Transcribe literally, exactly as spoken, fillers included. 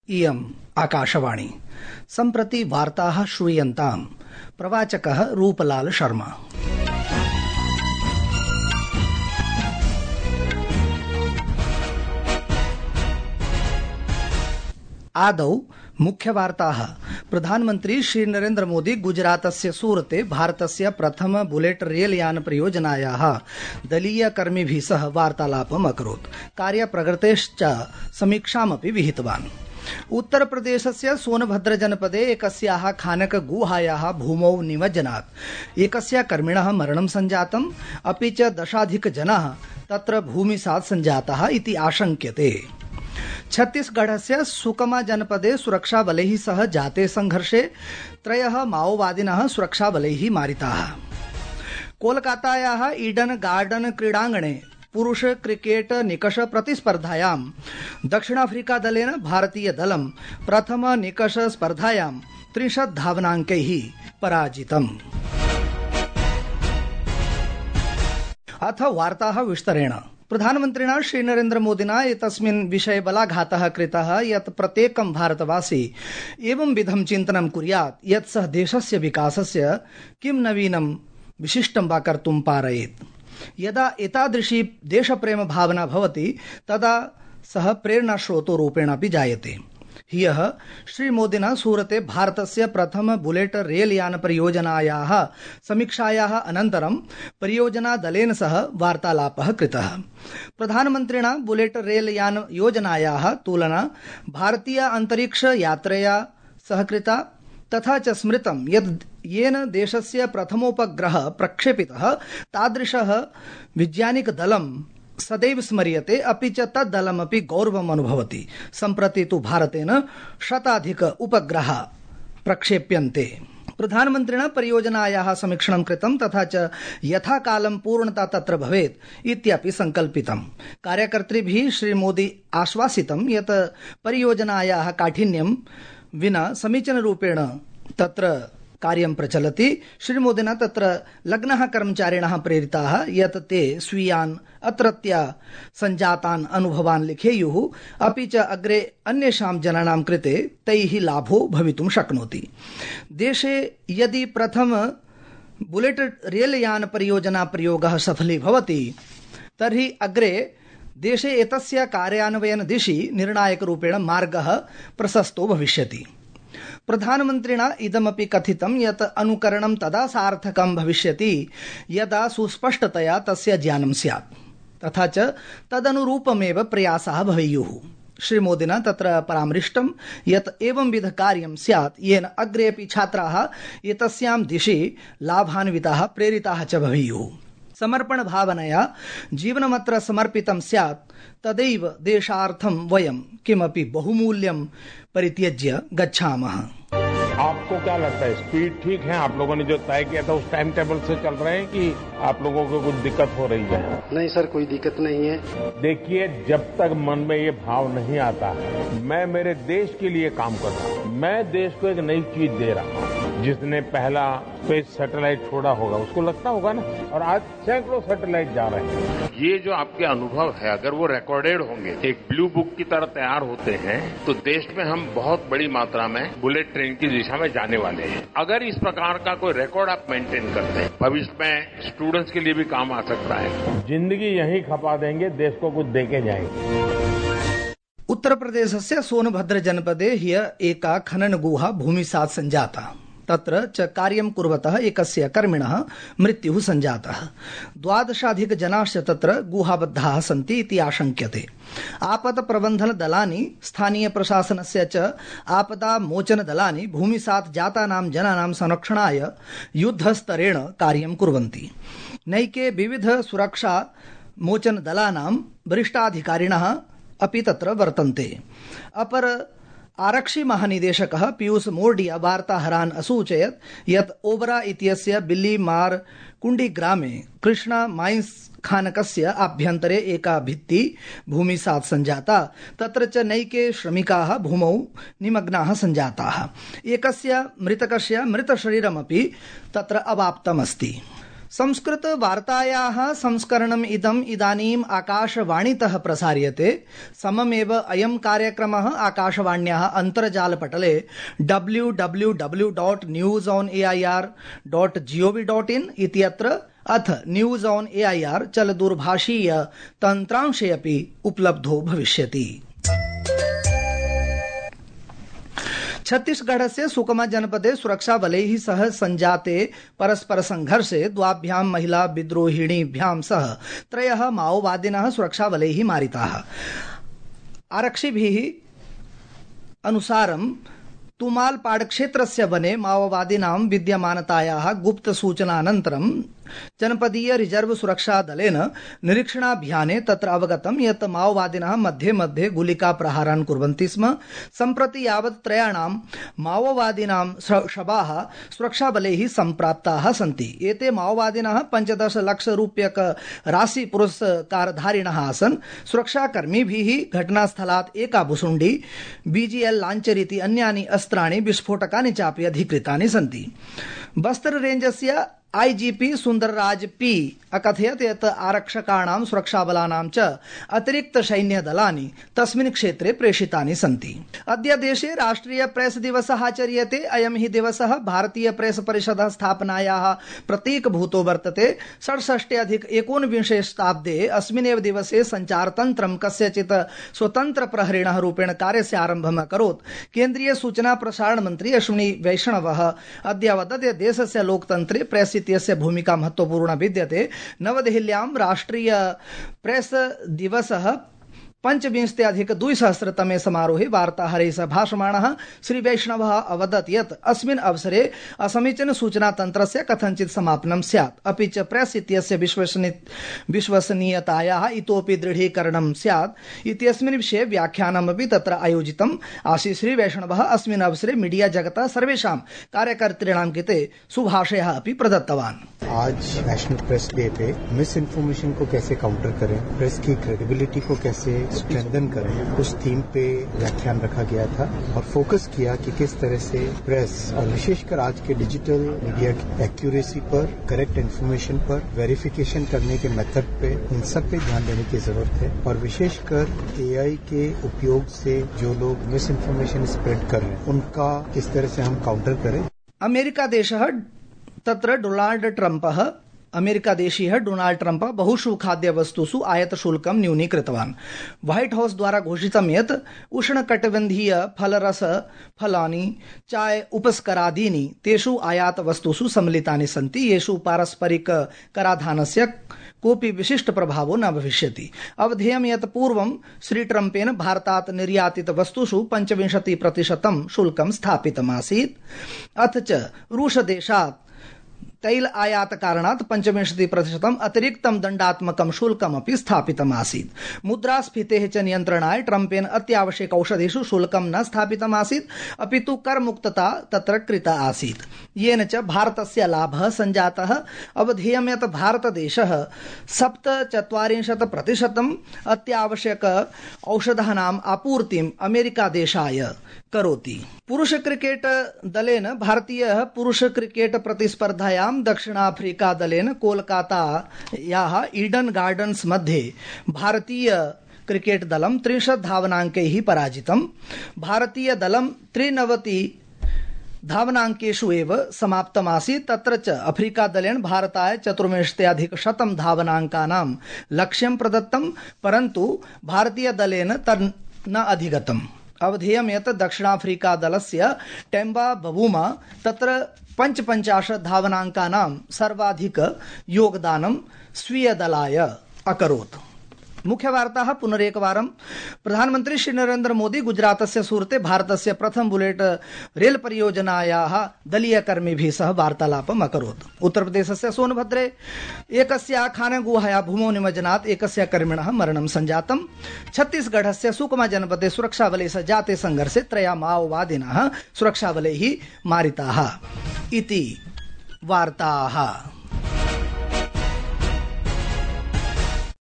इयम् आकाशवाणी। सम्प्रति वार्ताः श्रूयन्ताम्। प्रवाचकः रूपलाल शर्मा। आदौ मुख्यवार्ताः। प्रधानमन्त्री श्री नरेन्द्र मोदी गुजरातस्य सूरते भारतस्य प्रथम बुलेट रेल यान परियोजनायाः दलीय कर्मिभिः सह वार्तालापम् अकरोत्। कार्यप्रगतेश्च समीक्षामपि विहितवान्। उत्तरप्रदेशस्य सोनभद्र जनपदे एकस्याः खानक गुहायाः भूमौ निमज्जनात् एकस्य कर्मिणः मरणं सञ्जातम्, अपि च दशाधिक जनाः तत्र भूमिसात् सञ्जाताः इति आशंक्यते। छत्तीसगढ़स्य सुकमा जनपदे सुरक्षाबलैः सह जाते संघर्षे त्रयः माओवादिनः सुरक्षाबलैः मारिताः। कोलकातायाः ईडन गार्डन क्रीडाङ्गणे पुरुष क्रिकेट निकष प्रतिस्पर्धायां दक्षिणाफ्रीका दलेन भारतीय दलं प्रथम निकष स्पर्धायां त्रिंशत् धावनाङ्कैः पराजितम्। अथ वार्ताः विस्तरेण। प्रधानमन्त्रिणा श्री नरेन्द्र मोदिना एतस्मिन् विषये बलाघातः कृतः यत् प्रत्येकं भारतवासी एवं विधं चिन्तनं कुर्यात् यत् सः देशस्य विकासस्य किं नवीनं विशिष्टं वा कर्तुं पारयेत्। यदा एतादृशी देशप्रेम भावना भवति तदा सः प्रेरणास्रोतरूपेण अपि जायते। ह्यः श्रीमोदिना सूरते भारतस्य प्रथम बुलेट रेल यान परियोजनायाः समीक्षायाः अनन्तरं परियोजना दलेन सह वार्तालापः कृतः। प्रधानमन्त्रिणा बुलेट रेल यान योजनायाः तुलना भारतीय अन्तरिक्ष यात्रया सह कृता, तथा च स्मृतं यत् येन देशस्य प्रथमोपग्रहः प्रक्षेपितः तादृशः वैज्ञानिकदलं सदैव स्मर्यते, अपि च तद्दलमपि गौरवम् अनुभवति। सम्प्रति तु भारतेन शताधिक उपग्रहाः प्रक्षेप्यन्ते। प्रधानमन्त्रिणा परियोजनायाः समीक्षणं कृतं, तथा च यथा कालं पूर्णता तत्र भवेत् इत्यपि सङ्कल्पितम्। कार्यकर्तृभिः श्रीमोदी आश्वासितं यत् परियोजनायाः काठिन्यं विना समीचीनरूपेण तत्र कार्यं प्रचलति। श्रीमोदिना तत्र लग्नः कर्मचारिणः प्रेरिताः यत् ते स्वीयान् अत्रत्य सञ्जातान् अनुभवान् लिखेयुः, अपि च अग्रे अन्येषां जनानां कृते तैः लाभो भवितुं शक्नोति। देशे यदि प्रथम बुलेट रेल यान परियोजना प्रयोगः सफली भवति तर्हि अग्रे देशे एतस्य कार्यान्वयन दिशि निर्णायकरूपेण मार्गः प्रशस्तो भविष्यति। प्रधानमन्त्रिणा इदमपि कथितं यत् अनुकरणं तदा सार्थकं भविष्यति यदा सुस्पष्टतया तस्य ज्ञानं स्यात्, तथा च तदनुरूपमेव प्रयासाः भवेयुः। श्रीमोदिना तत्र परामृष्टं यत् एवंविध कार्यं स्यात् येन अग्रेपि छात्राः एतस्यां दिशि लाभान्विताः प्रेरिताः च भवेयुः। समर्पण भावनया जीवनमत्र समर्पितं स्यात्, तदैव देशार्थं वयं किमपि बहुमूल्यं परित्यज्य गच्छामः। आपको क्या लगता है, स्पीड ठीक है? आप लोगों ने जो तय किया था उस टाइम टेबल से चल रहे हैं कि आप लोगों को कुछ दिक्कत हो रही है? नहीं सर, कोई दिक्कत नहीं है। देखिए, जब तक मन में ये भाव नहीं आता है मैं मेरे देश के लिए काम कर रहा हूँ, मैं देश को एक नई चीज दे रहा हूँ। जिसने पहला स्पेस सैटेलाइट छोड़ा होगा उसको लगता होगा ना, और आज सैकड़ों सैटेलाइट जा रहे हैं। ये जो आपके अनुभव है अगर वो रिकॉर्डेड होंगे, एक ब्लू बुक की तरह तैयार होते हैं, तो देश में हम बहुत बड़ी मात्रा में बुलेट ट्रेन की दिशा में जाने वाले हैं। अगर इस प्रकार का कोई रिकॉर्ड आप मेंटेन करते हैं, भविष्य में स्टूडेंट्स के लिए भी काम आ सकता है। जिंदगी यहीं खपा देंगे, देश को कुछ देके जाएंगे। उत्तर प्रदेशस्य सोनभद्र जनपदे ह्यः एका खनन गुहा भूमिसात् सञ्जाता। तत्र च कार्यं कुर्वतः एकस्य कर्मिणः मृत्युः सञ्जातः। द्वादशाधिक जनाश्च तत्र गुहाबद्धाः सन्ति इति आशंक्यते। आपत्प्रबन्धनदलानि, स्थानीय प्रशासनस्य च आपदामोचनदलानि भूमिसात् जातानां जनानां संरक्षणाय युद्धस्तरेण कार्यं कुर्वन्ति। नैके विविध सुरक्षा मोचनदलानां वरिष्ठाधिकारिणः अपि तत्र वर्तन्ते। अपर आरक्षि महानिदेशकः पीयूष मोर्डिया वार्ताहरान् असूचयत् यत् ओबरा इत्यस्य बिल्लीमार कुंडी ग्रामे कृष्णा माइन्स खानकस्य आभ्यन्तरे एका भित्ति भूमिसात् सञ्जाता, तत्र च नैके श्रमिकाः भूमौ निमग्नाः सञ्जाताः। एकस्य मृतकस्य मृतशरीरमपि तत्र अवाप्तमस्ति। संस्कृत वार्तायाः संस्करणम् इदम् इदानीम् आकाशवाणीतः प्रसार्यते। सममेव अयं कार्यक्रमः आकाशवाण्याः अन्तर्जालपटले W W W dot news on A I R dot G O V dot in इत्यत्र अथ news on A I R चलदूरभाषीय तन्त्रांशे अपि उपलब्धो भविष्यति। छत्तीसगढ़स्य सुकमा जनपदे सुरक्षाबलैः सह संजाते परस्पर संघर्षे द्वाभ्यां महिला विद्रोहिणीभ्यां सह त्रयः माओवादिनः सुरक्षाबलैः मारिताः। आरक्षिभिः अनुसारं तुमालपाड़ क्षेत्रस्य वने माओवादिनां विद्यमानतायाः गुप्त सूचनानन्तरं जनपदीय रिजर्व सुरक्षा दलेन निरीक्षणाभियाने तत्र अवगतं यत् माओवादिनः मध्ये मध्ये गुलिका प्रहारान् कुर्वन्ति स्म। सम्प्रति यावत् त्रयाणां माओवादिनां शवाः सुरक्षाबलैः सम्प्राप्ताः सन्ति। एते माओवादिनः पञ्चदश लक्ष रूप्यक राशि पुरस्कारधारिणः आसन्। सुरक्षाकर्मिभिः घटनास्थलात् एका भुसुण्डी, बीजीएल लांचर इति अन्यानि अस्त्राणि विस्फोटकानि चापि अधिकृतानि सन्ति। बस्तर रेंजस्य आईजीपी सुंदरराज पी अकथयत् यत् आरक्षकाणां सुरक्षाबलानां च अतिरिक्त सैन्यदलानि तस्मिन् क्षेत्रे प्रेषितानि सन्ति। अद्य देशे राष्ट्रिय प्रेस दिवसः आचर्यते। अयं हि दिवसः भारतीय प्रेस परिषदः स्थापनायाः प्रतीकभूतो वर्तते। षड्षष्ट्यधिक एकोनविंशे शताब्दे अस्मिन्नेव दिवसे सञ्चारतन्त्रं कस्यचित् स्वतन्त्रप्रहरिणः रूपेण कार्यस्य आरम्भम् अकरोत्। केन्द्रीय सूचना प्रसारण मन्त्री अश्विनी वैष्णवः अद्य अवदत् यत् देशस्य लोकतन्त्रे प्रेस इत्यस्य भूमिका महत्वपूर्णा विद्यते। नवदेहल्यां राष्ट्रिय प्रेस दिवसः पंचविंशत्यधिक द्विसहस्रतमे समारोहे वार्ताहरैः सह भाषमाणः श्री वैष्णवः अवदत् यत् अस्मिन् अवसरे असमीचीन सूचनातन्त्रस्य कथञ्चित् समापनं स्यात्, अपि च प्रेस इत्यस्य विश्वसनीयतायाः इतोपि दृढीकरणं स्यात् इत्यस्मिन् विषये व्याख्यानमपि तत्र आयोजितम् आसीत्। श्री वैष्णवः अस्मिन् अवसरे मीडिया जगतः सर्वेषां कार्यकर्तॄणां कृते शुभाशयः अपि प्रदत्तवान्। आज national press day pay miss information को कैसे काउंटर करें, प्रेस की क्रेडिबिलिटी को कैसे स्ट्रेंथन करें, उस थीम पे व्याख्यान रखा गया था और फोकस किया कि किस तरह से प्रेस और विशेषकर आज के डिजिटल मीडिया की एक्यूरेसी पर, करेक्ट इन्फॉर्मेशन पर, वेरिफिकेशन करने के मेथड पे, इन सब पे ध्यान देने की जरूरत है और विशेषकर एआई के उपयोग से जो लोग मिस इन्फॉर्मेशन स्प्रेड कर रहे हैं उनका किस तरह से हम काउंटर करें। अमेरिका देशः तत्र डोनाल्ड ट्रम्पः अमेरिकादेशीयः डोनाल्ड ट्रम्प बहुषु खाद्यवस्तुषु आयातशुल्कं न्यूनीकृतवान्। व्हाइट हाउस द्वारा घोषितं यत् उष्णकटिबन्धीय फलरस फलानि, चाय, उपस्करादीनि तेषु आयातवस्तुषु सम्मिलितानि सन्ति, येषु पारस्परिक कराधानस्य कोऽपि विशिष्ट प्रभावो न भविष्यति। अवधेयं यत् पूर्वं श्री ट्रम्पेन भारतात् निर्यातित वस्तुषु पञ्चविंशति प्रतिशतं शुल्कं स्थापितमासीत्। अथ च रूसदेशात् तैल आयात कारणात् पञ्चविंशति प्रतिशतम् अतिरिक्तं दण्डात्मकं शुल्कमपि स्थापितमासीत्। मुद्रास्फीतेः च नियन्त्रणाय ट्रम्पेन अत्यावश्यक औषधेषु शुल्कं न स्थापितमासीत्, अपि तु करमुक्तता तत्र कृता आसीत्, येन च भारतस्य लाभः सञ्जातः। अवधेयं यत् भारतदेशः सप्तचत्वारिंशत् प्रतिशतम् अत्यावश्यक औषधानाम् आपूर्तिम् अमेरिकादेशाय करोति। पुरुष क्रिकेट दलेन भारतीयः पुरुष क्रिकेट प्रतिस्पर्धायां दक्षिणाफ्रीका दलेन कोलकातायाः ईडन गार्डन्स मध्ये भारतीय क्रिकेट दलं त्रिंशत् धावनाङ्कैः पराजितम्। भारतीय दलं त्रिनवति धावनाङ्केषु एव समाप्तमासीत्। तत्र च अफ्रीका दलेन भारताय चतुर्विंशत्यधिक शतं धावनाङ्कानां लक्ष्यं प्रदत्तं, परन्तु भारतीय दलेन तन् न अधिगतम्। अवधेयं यत् दक्षिणाफ्रीका दलस्य टेम्बा बवूमा तत्र पञ्चपञ्चाशत् धावनाङ्कानां सर्वाधिक योगदानं स्वीयदलाय अकरोत्। मुख्यवार्ताः पुनरेकवारं। प्रधानमन्त्री श्री नरेन्द्र मोदी गुजरातस्य सूरते भारतस्य प्रथम बुलेट रेल परियोजनायाः दलीयकर्मिभिः सह वार्तालापम् अकरोत्। उत्तरप्रदेशस्य सोनभद्रे एकस्य खानगुहाया भूमौ निमज्जनात् एकस्य कर्मिणः मरणं सञ्जातम्। छत्तीसगढ़स्य सुकमा जनपदे सुरक्षाबलैः सह जाते संघर्षे त्रयः माओवादिनः सुरक्षाबलैः मारिताः इति वार्ताः।